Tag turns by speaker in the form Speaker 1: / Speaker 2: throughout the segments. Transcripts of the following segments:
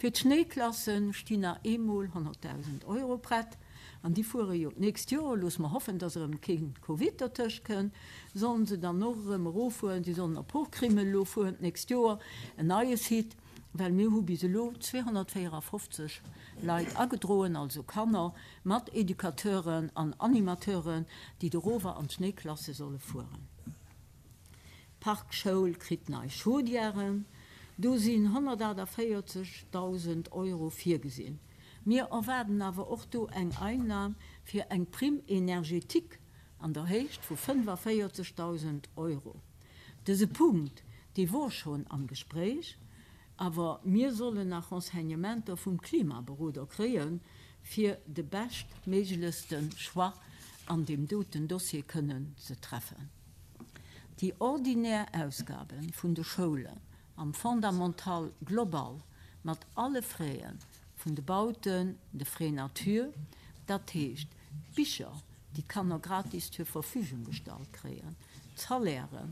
Speaker 1: Fir d'Schnéiklasse stinn nach eemol 100.000 Euro prett, an déi fuere jo d'nächst Joer, loosse mer hoffen, dass erëm kee Covid dertëscht kënnt, sollen se dann och erëm eroffueren. Si sollen op Hochkrimmel elo fueren d'nächst Joer, en neie Site, well mir hu bis elo 254 Leit agedroen, also Kanner mat Educateuren an Animateuren, déi dorower an d'Schnéiklasse solle fueren. D'Parkschoul kritt nei Chaudièren, do sinn 148.000 Euro virgesinn. Mir erwaarden awer och do eng Einnam fir eng Prime énergétique an der Héicht vu 45.000 Euro. Dëse Punkt, dee wor schonn am Gespréich, awer mir sollen nach Renseignementer vum Klimaberoder kréien, fir de beschtméiglechste Choix an deem doten Dossier kënnen ze treffen. Déi ordinär Ausgabe vun de Schoulen am Fondamental global mat alle Fräen vun de Bauten, de Frais nature, dat heescht d'Bicher, déi d'Kanner gratis zur Verfügung gestallt kréien, d'Salairë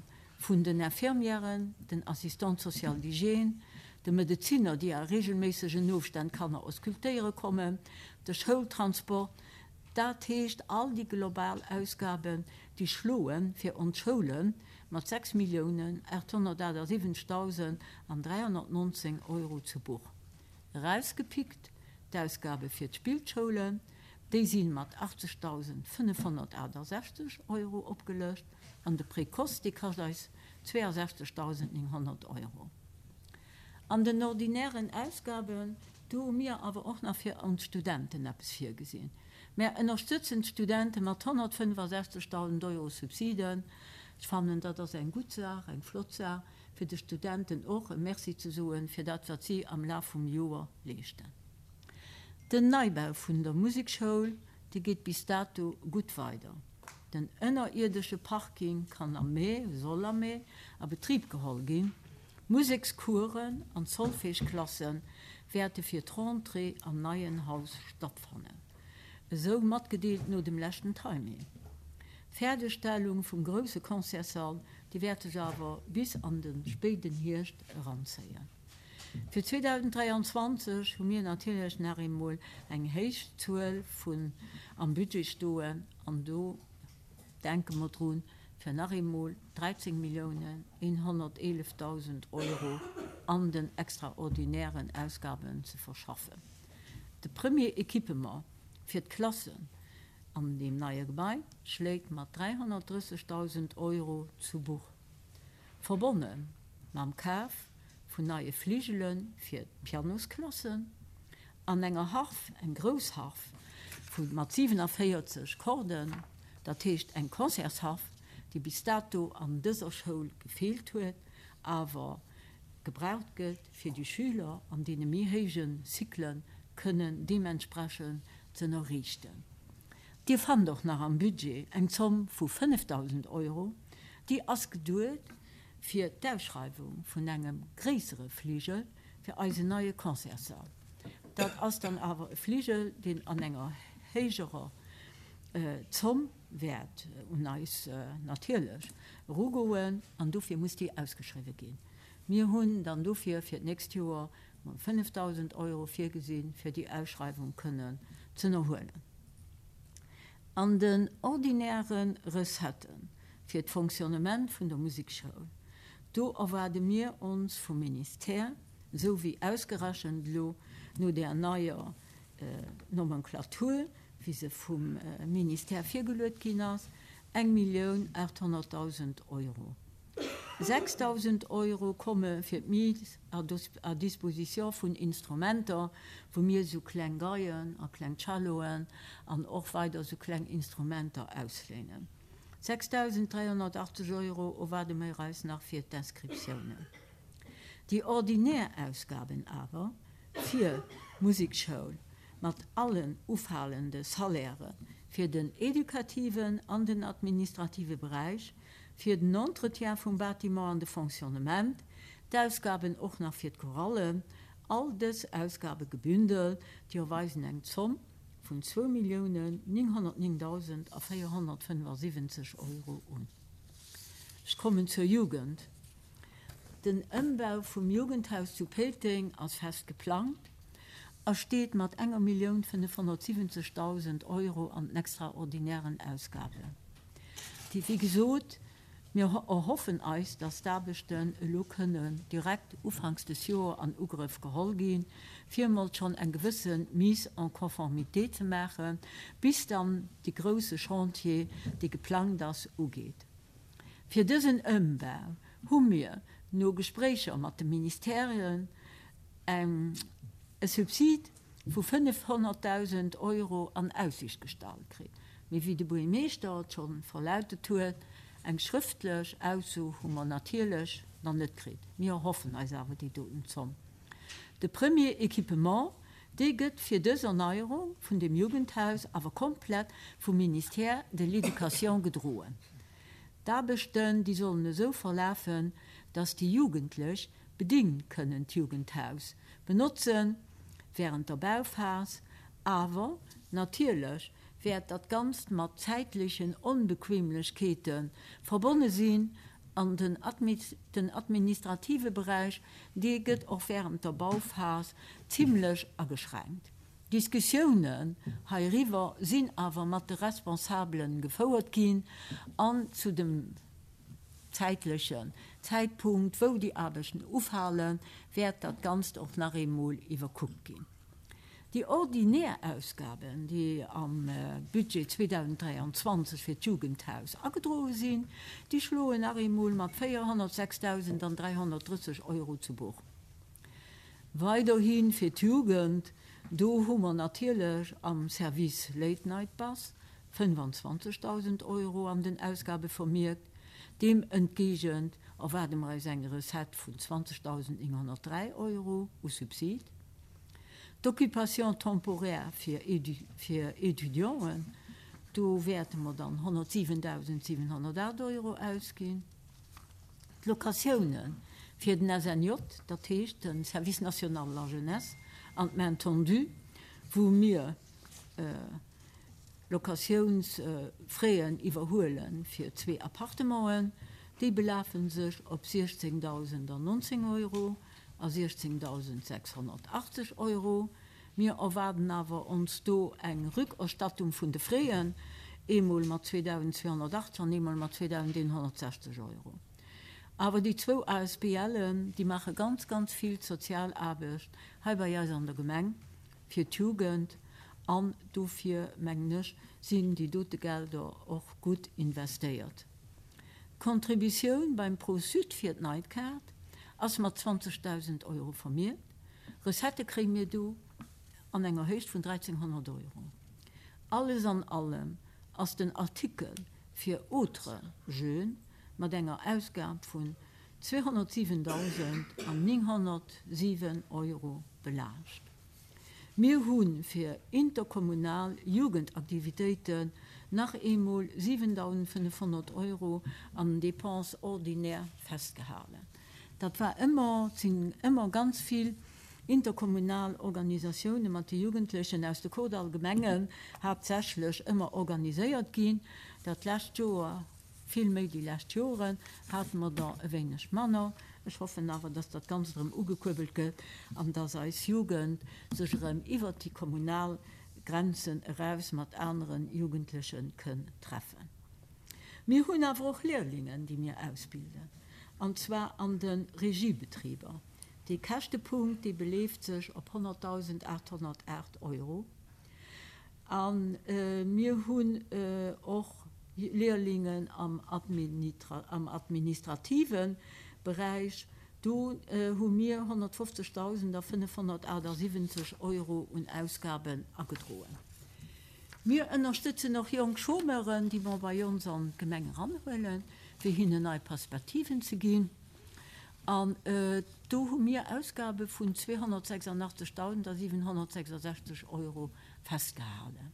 Speaker 1: vun den Infirmièren, den Assistantes sociales d'hygiène, de Medezinner, déi a regelméissegen Ofstänn d'Kanner auscultéiere kommen, de Schoultransport, dat heescht all déi global Ausgaben, déi schloe fir ons Schoule mat 6.878.319 Euro zu Buch. Erausgepickt, d'Ausgabe fir d'Spillschoulen, déi si mat 80.568 Euro opgelëscht an de Précoce, dee kascht eis 62.900 Euro. An den ordinären Ausgaben, do hu mir awer och nach fir ons Studenten eppes virgesinn. Mär ënnerstëtzen d'Studente mat 165.000 Euro Subsiden. Ech fannen, dat ass eng gutt Saach, eng flott Saach, fir de Studenten och e Merci ze soen, fir dat, wat si am Laf vum Joer leeschten. Den Neibau vun der Musekschoul, dee geet bis dato gutt weider. Den ënnerierdesche Parking kann am Mee, soll am Mee, a Betrib geholl ginn. D'Musekscoursen an d'Solfège-Klasse wäerte fir d'Rentrée am neien Haus stattfannen, esou matgedeelt no dem leschten Timing. D'Fäerdegstellung vum grousse Concertssall, déi wäert sech awer bis an de spéiden Hierscht eranzéien. Fir 2023 hu mir natierlech nach eemol eng héich Zuel vun am Budget stoen an do denke mer drun, fir nach eemol 13 Milliounen 111.000 Euro an den extraordinären Ausgaben ze verschaffen. De Premier Equipement fir d'Klassen an deem neie Gebai schléit mat 330.000 Euro zu Buch, verbonne mam Kaf vun neie Fligele fir d'Pianosklassen an enger Harf, eng grouss Harf vu mat 47 Korden, dat heescht eng Concertsharf, déi bis dato an dëser Schoul gefeelt huet, awer gebraucht gëtt, fir déi Schüler an deene méi héije Cyclen kënnen deementsprechend z'ënnerriichten. Dir fannt och nach am Budget eng Zomm vu 5.000 Euro, déi ass geduet fir d'Ausschreiwung vun engem gréissere Fligel fir eisen neie Concertssall. Dat ass dann awer e Fligel, deen an enger héijerer Zomm wäert un eis natierlech erugoen an dofir muss déi ausgeschriwwe ginn. Mir hunn dann dofir fir d'nächst Joer mol 5.000 Euro virgesinn, fir déi Ausschreiwung kënnen z'ënnerhuelen. An den ordinäre Recettë fir d'Fonctionnement vun der Musekschoul, do erwaarde mir ons vum Ministère, esou wéi ausgerechent elo no där neier Nomenclature, wéi se vum Ministère virgeluet ginn ass, 1.800.000 Euro. 6.000 Euro komme fir d'Mise à disposition vun Instrumenter, wou mir esou kleng Geien a kleng Celloen an och weider esou kleng Instrumenter ausléinen. 6.380 Euro erwaarde mir eis nach fir d'Inscriptiounen. Déi ordinär Ausgaben awer fir d'Musekschoul mat allen ufalende Salairë fir den edukativen an den administrative Beräich, fir den Entretien vum Bâtiment an de Fonctionnement, d'Ausgaben och nach fir d'Chorallen, all dës Ausgabe gebündelt, déi erweisen eng Zomm vun 2.909.475 Euro un. Ech kommen zur Jugend. Den Ëmbau vum Jugendhaus zu Péiteng ass fest geplangt. A steet mat enger 1.570.000 Euro an den extraordinären Ausgaben. Déi, wéi gesot, mir erhoffen eis, dass d'Aarbechten elo kënnen direkt ufanks des Joer an Ugrëff geholl ginn, fir emol schonn eng gewësse Mise en conformité ze maachen, bis dann dee grouse Chantier, dee geplangt ass, ugeet. Fir dësen Ëmbau hu mir no Gespréicher mat de Ministèren eng e Subsid vu 500.000 Euro an Aussicht gestallt kritt. Mee wéi de Buergermeeschter et scho verlautet huet, eng schrëftlech Ausso hu mer natierlech nach net kritt. Mir erhoffen eis awer déi doten Zomm. De Premier Équipement, dee gëtt fir dës Erneierung vun dem Jugendhaus awer komplett vum Ministère de l'Éducation gedroen. D'Aarbechten, déi sollen esou verlafen, dass déi Jugendlech bedingt kënnen d'Jugendhaus benotzen während der Bauphas, awer natierlech wäert dat Ganzt mat zäitlechen Onbequemlechkeete verbonne sinn an den den administrative Beräich, dee gëtt och während der Bauphas zimlech ageschränkt. Diskussiounen heiriwwer sinn awer mat de Responsabele gefouert ginn an zu dem zäitlechen Zäitpunkt, wou déi Aarbechten ufalen, wäert dat Ganzt och nach eemol iwwerkuckt ginn. Déi ordinär Ausgaben, déi am Budget 2023 fir d'Jugendhaus agedroe sinn, déi schloen nach eemol mat 406.330 Euro zu Buch. Weiderhi fir d'Jugend, do hu mer natierlech am Service Late Night Bus 25.000 Euro an den Ausgabe vermierkt. Deem entgegent erwaarde mer eis eng Recette vun 20.903 Euro u Subsid. D'Occupation temporaire fir Étudianten, do wäerte mer dann 107.708 Euro ausginn. D'Locatioune fir den SNJ, dat heescht de Service national de la jeunesse, an d'Main tendue, wou mir Locatiounsfraisen iwwerhuele fir zwee Appartementen, déi belafe sech op 16.019 Euro a 16.680 Euro. Mir erwaarden awer ons do eng Rückerstattung vun de Fräen, eemol mat 2.280 an eemol mat 2.160 Euro. Awer déi zwou ASBLen, déi maache ganz, ganz vill Sozialaarbecht hei bei eis an der Gemeng fir d'Jugend an dofir, mengen ech, sinn déi dote Gelder och gutt investéiert. D'Contributioun beim Pro-Sud fir d'Nightcard ass mat 20.000 Euro vermierkt. Recettë kréie mir do an enger Héicht vun 1.300 Euro. Alles an allem ass den Artikel fir autres jeunes mat enger Ausgab vun 207.907 Euro belaascht. Mir hu fir interkommunal Jugendaktivitéiten nach eemol 7.500 Euro an den Dépenses ordinaires festgehalen. Dat war ëmmer, et sinn ëmmer ganz vill interkommunal Organisatioune mat de Jugendlechen aus de Kordall Gemengen haaptsächlech ëmmer organiséiert ginn. Dat lescht Joer, vill méi déi lescht Joren, hate mer der e wéineg manner. Ech hoffen awer, dass dat Ganzt erëm ugekuerbelt gëtt an dass eis Jugend sech erëm iwwert déi kommunal Grenzen eraus mat anere Jugendleche kënn treffen. Mir hunn awer och Lehrlingen, déi mir ausbilden, an zwar an de Regiebetriber. Dee Käschtepunkt, dee beleeft sech op 100.808 Euro. A mir hunn och Lehrlingen am administrative Beräich. Do hu mir 150.578 Euro un Ausgaben agedroen. Mir ënnerstëtzen och jonk Chômeuren, déi mer bei ons an d'Gemeng eranhuelen, fir hinnen nei Perspektiven ze ginn. An do hu mir Ausgabe vun 286.766 Euro festgehalen.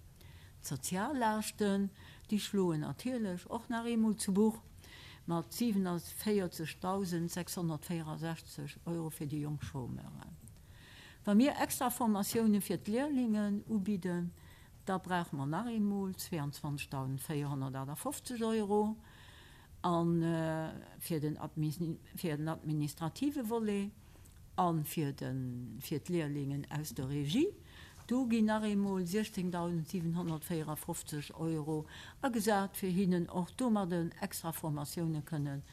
Speaker 1: D'Soziallaaschten, déi schloen natierlech och nach eemol zu Buch mat 47.664 Euro fir déi jonk Chômeuren. Wa mir extra Formatioune fir d'Lehrlingen ubidden, da brauche mer nach eemol 22.458 Euro. A fir den administrative Volet. A fir fir d'Lehrlingen aus der Regie, do ginn nach eemol 16.754 Euro agesat, fir hinnen och domadden extra Formatioune kënnen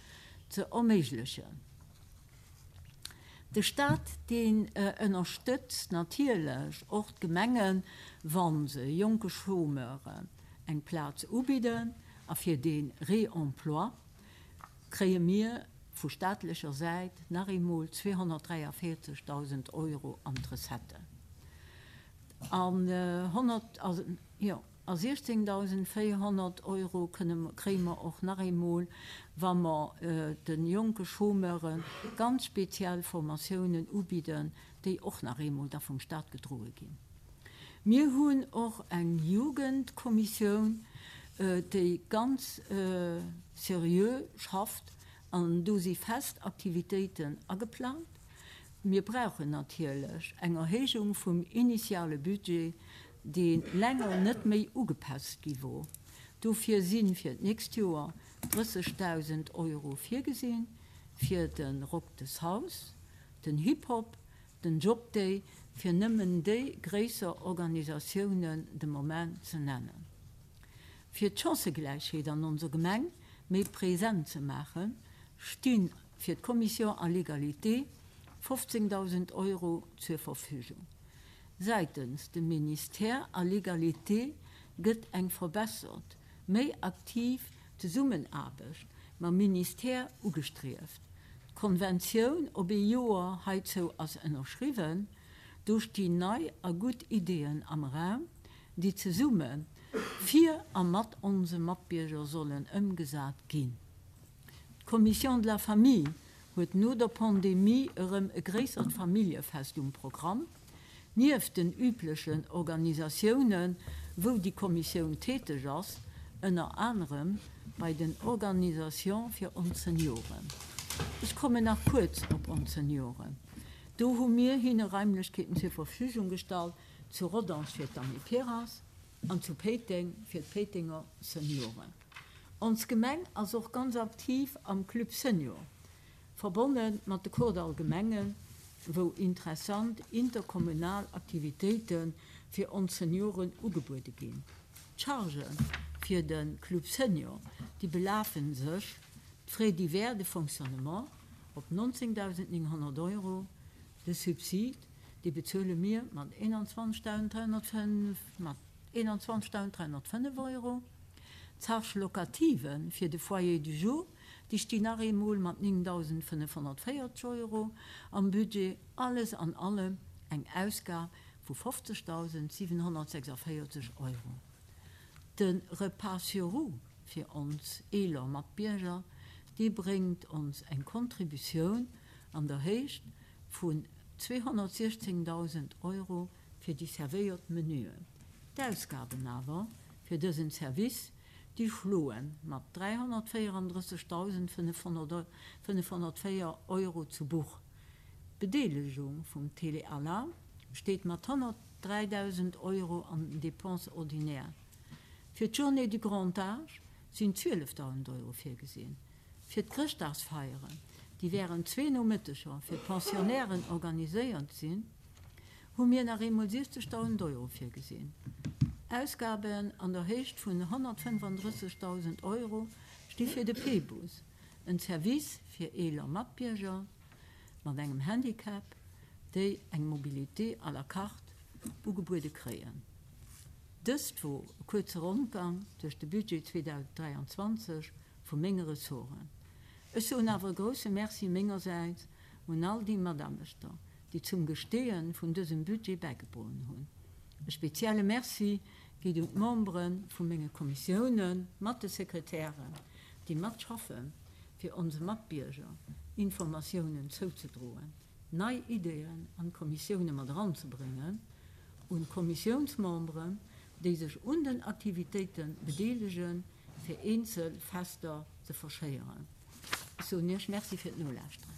Speaker 1: ze erméiglechen. De Stat, deen ënnerstëtzt natierlech och d'Gemengen, wa se jonke Chômeuren eng Plaz ubidden. A fir dee Réemploi kréie mir vu staatlecher Säit nach eemol 243.000 Euro an d'Recetten. An 16.400 Euro kréie mer och nach eemol, wa mer de jonke Chômeure ganz speziell Formatiounen ubidden, déi och nach eemol da vum Stat gedroe ginn. Mir hunn och eng Jugendkommissioun, déi ganz seriö schafft an do si fest Aktivitéiten ageplangt. Mir brauchen natierlech eng Erhéijung vum initiale Budget, dee länger net méi ugepasst gi wor. Dofir si fir d'nächst Joer 30.000 Euro virgesinn fir de Rock des Haus, den Hip-Hop, den Job Day, fir nëmmen déi gréisser Organisatiounen de Moment ze nennen. Fir d'Chancëgläichheet an onser Gemeng méi present ze maachen, sti fir d'Commission à l'égalité 15.000 Euro zur Verfügung. Säitens dem Ministère à l'égalité gëtt eng verbessert, méi aktiv Zesummenaarbecht mam Ministère ugestrieft. D'Konventioun op ee Joer heizou ass ënnerschriwwen. Do stinn nei a gutt Ideeën am Raum, déi zesumme fir a mat onse Matbierger sollen ëmgesat ginn. D'Commission de la Famille huet no der Pandemie erëm e gréissert Familljefest um Programm. Nieft den üblechen Organisatiounen, wou déi Kommissioun täteg ass, ënner anerem bei den Organisation fir ons Senioren. Ech kommen nach kuerz op ons Senioren. Do hu mir hinne Raimlechkeeten zur Verfügung gestallt, zu Rodange fir d'Amiperas an zu Péiteng fir d'Péitenger Senioren. Ons Gemeng ass och ganz aktiv am Club Senior. Verbonne mat de Kordall Gemengen, wou interessant interkommunal Aktivitéite fir ons Senioren ugebuede ginn. D'Chargë fir de Club Senior, déi belafen sech, d'Frais divers de fonctionnement, op 19.900 Euro. De Subsid, dee bezuele mir mat 21.305 Euro. D'Charge locative fir de Foyer du jour, Déi stinn nach eemol mat 9.540 Euro am Budget. Alles an allem eng Ausgab vu 50.746 Euro. De Repas sur roues fir ons eeler Matbierger, dee bréngt ons eng Contributioun an der Héicht vun 216.000 Euro fir déi servéiert Menüen. D'Ausgaben awer fir dësen Service Déi schloe mat 334.504 Euro zu Buch. D'Bedeelegung vum Télé-Alarm steet mat 103.000 Euro an den Dépenses ordinaires. Fir d'Journée du Grand Âge sinn 12.000 Euro virgesinn. Fir d'Chrëschtdagsfeieren, déi wärend zwee Nomëtteger fir d'Pensionnairen organiséiert sinn, hu mir nach eemol 60.000 Euro virgesinn. Ausgaben an der Héicht vun 135.000 Euro sti fir de P-Bus, en Service fir eeler Matbierger mat engem Handicap, déi eng Mobilité à la carte ugebuede kréien. Dëst wor e kuerze Rondgang duerch de Budget 2023 vu menge Ressorten. Ech soen awer e grousse Merci mengersäits un all déi Mataarbechter, déi zum Gesteeë vun dësem Budget bäigedroen hunn. E spezielle Merci geet un d'Membere vu menge Kommissiounen mat de Sekretären, déi matschaffen, fir onse Matbierger Informatiounen zouzedroen, nei Ideeën an d'Kommissioune mat eranzebréngen, un d'Kommissiounsmemberen, déi sech un den Aktivitéite bedeelegen, fir eenzel Fester ze verschéieren. Ech soen Iech Merci fir d'Nolauschteren.